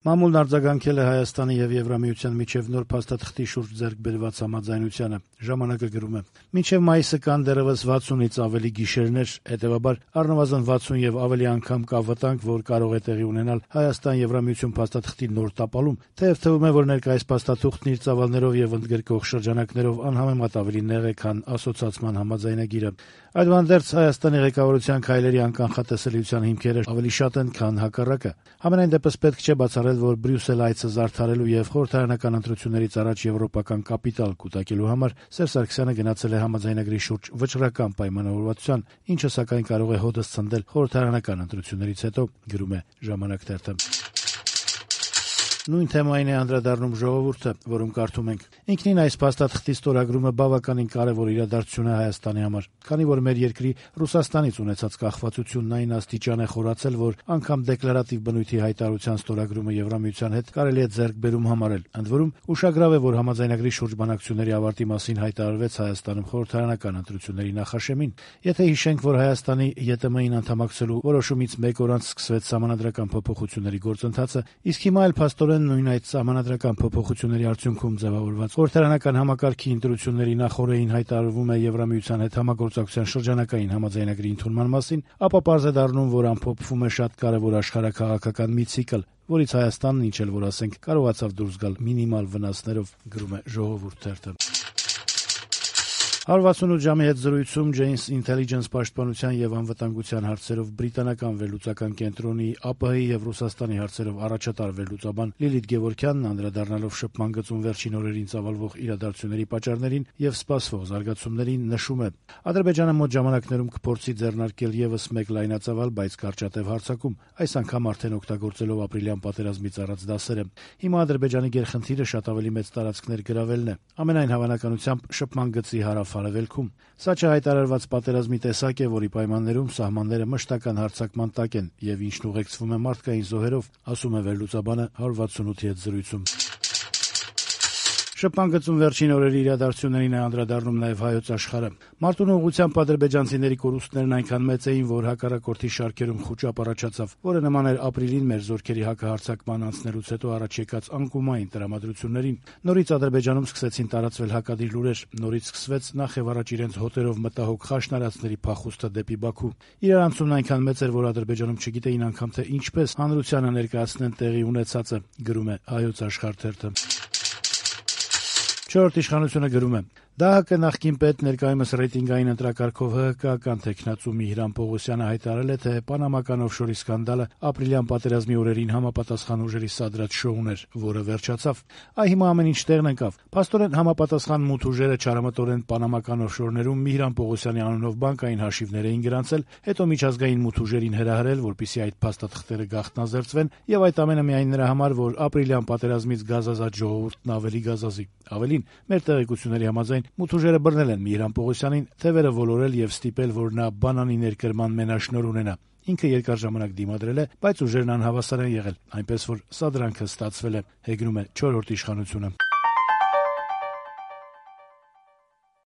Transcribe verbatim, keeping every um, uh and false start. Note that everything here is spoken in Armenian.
Մամուլն արձագանքել է Հայաստանի եւ Եվրամիության միջեւ նոր փաստաթղթի շուրջ ձեռք բերված համաձայնությանը։ Ժամանակը գրում է. «Մինչեւ մայիսը կան դեռեւս վաթսունից ավելի գիշերներ, հետեւաբար առնվազն վաթսուն եւ ավելի անգամ կա վտանգ, որ կարող է տեղի ունենալ Հայաստան-Եվրամիություն փաստաթղթի նոր տապալում, թեեւ թվում է, որ ներկայիս փաստաթուղթն իր ծավալներով եւ ընդգրկող շրջանակներով անհամեմատ ավելի նեղ է, քան ասոցացման համաձայնագիրը։ Այդուհանդերձ Հայաստանի ղեկավարության քայլերի անկանխատեսելիության հիմքերը ավելի շատ են, քան հակառակը։ Համենայն դեպս պետք չէ բացառել, որ Բրյուսել այցը զարդարելու եւ խորհրդարանական ընտրություններից առաջ եվրոպական կապիտալ կուտակելու համար Սերժ Սարգսյանը գնացել է համաձայնագրի շուրջ վճռական պայմանավորվածության, ինչը սակայն կարող է հօդս ցնդել խորհրդարանական ընտրություններից հետո», գրում է «Ժամանակ» թերթը։ Նույն թեմային է անդրադառնում «Ժողովուրդը», որում կարդում ենք. «Ինքնին այս փաստաթղթի ստորագրումը բավականին կարևոր իրադարձություն է Հայաստանի համար, քանի որ մեր երկրի Ռուսաստանից ունեցած կախվածությունն այն աստիճան է խորացել, որ անգամ դեկլարատիվ բնույթի հայտարարության ստորագրումը Եվրամիության հետ կարելի է ձեռքբերում համարել։ Ընդ որում, ուշագրավ է, որ համաձայնագրի շուրջ բանակցությունների ավարտի մասին հայտարարվեց Հայաստանում խորհրդարանական ընտրությունների նախաշեմին։ Եթե հիշենք, որ Հայաստանի ԵՏՄ-ին անդամակցելու որոշումից մեկ օր անց սկսվեց սահմանադրական փոփոխությունների գործընթացը, իսկ հիմա էլ փաստորեն նույն այդ սահմանադրական փոփոխությունների արդյունքում ձևավորված խորհրդարանական համակարգի ընտրությունների նախօրեին հայտարարվում է Եվրամիության հետ համագործակցության շրջանակային համաձայնագրի ընդունման մասին, ապա պարզ է դառնում, որ ամփոփվում է շատ կարևոր աշխարհաքաղաքական մի ցիկլ, որից Հայաստանն, ինչ էլ որ ասենք, կարողացավ դուրս գալ մինիմալ վնասներով», գրում է «Ժողովուրդ» թերթը։ հարյուր վաթսունութ ժամի հետ զրույցում Janes Intelligence պաշտպանության եւ անվտանգության հարցերով բրիտանական վերլուծական կենտրոնի ԱՊՀ-ի եւ Ռուսաստանի հարցերով առաջատար վերլուծաբան Լիլիթ Գևորգյանն անդրադառնալով շփման գծում վերջին օրերին ծավալվող իրադարձությունների պատճառներին եւ սպասվող զարգացումներին նշում է. «Ադրբեջանը մոտ ժամանակներում կփորձի ձեռնարկել եւս մեկ լայնածավալ, բայց կարճատեւ հարձակում, այս անգամ արդեն օգտագործելով ապրիլյան պատերազմից առած դասերը։ Հիմա Ադրբեջանի գերխնդիրը շատ ավելի մեծ տարածքներ գրավելն է, ամենայն հավանականությամբ շփման գծի հարավ-արևելքում։ Սա չհայտարարված պատերազմի տեսակ է, որի պայմաններում սահմանները մշտական հարձակման տակ են եւ ինչն ուղեկցվում է մարդկային զոհերով», ասում է վերլուծաբանը հարյուր վաթսունութի հետ զրույցում։ Շփման գծում վերջին օրերի իրադարձություններին է անդրադառնում նաև Հայոց Աշխարհը։ Մարտունու ուղղությամբ ադրբեջանցիների կորուստներն այնքան մեծ էին, որ հակառակորդի շարքերում խուճապ առաջացավ, որը նման էր ապրիլին մեր զորքերի հակահարձակման անցնելուց հետո առաջ եկած անկումային տրամադրություններին։ Նորից Ադրբեջանում սկսեցին տարածվել հակադիր լուրեր, նորից սկսվեց նախ եւ առաջ իրենց հոտերով մտահոգ խաշնարածների փախուստը դեպի Բաքու։ Իրարանցումն այնքան մեծ էր, որ Ադրբեջանում չգիտեին անգամ թե ինչպես հանրությանը ներկայացնեն տեղի ունեցածը, գրում է Հայոց Աշխարհ թերթը։ Չորրորդ իշխանությունը գրում է. «ԴԱՀԿ նախկին պետ, ներկայումս ռեյտինգային ընտրակարգով ՀՀԿ-ական թեկնածու Միհրան Պողոսյանը հայտարարել է, թե պանամական օֆշորի սկանդալը ապրիլյան պատերազմի օրերին համապատասխան ուժերի սադրած շոուն էր, որը վերջացավ։ Այ հիմա ամեն ինչ տեղն ընկավ։ Փաստորեն համապատասխան մութ ուժերը չարամտորեն պանամական օֆշորներում Միհրան Պողոսյանի անունով բանկային հաշիվներ էին գրանցել, հետո միջազգային մութ ուժերին հրահրել, որպեսզի այդ փաստաթղթերը գաղտնազերծվեն, եւ այդ ամենը միայն նրա համար, որ ապրիլյան պատերազմից գազազատ ժողովուրդն ավելի գազազի։ Ավելին, մեր տեղեկությունների համաձայն մութ ուժերը բռնել են Միհրան Պողոսյանին, թևերը ոլորել եւ ստիպել, որ նա բանանի ներկրման մենաշնոր ունենա։ Ինքը երկար ժամանակ դիմադրել է, բայց ուժերն անհավասար են եղել, այնպես որ սադրանքը ստացվել է», հեգնում է չորրորդ իշխանությունը։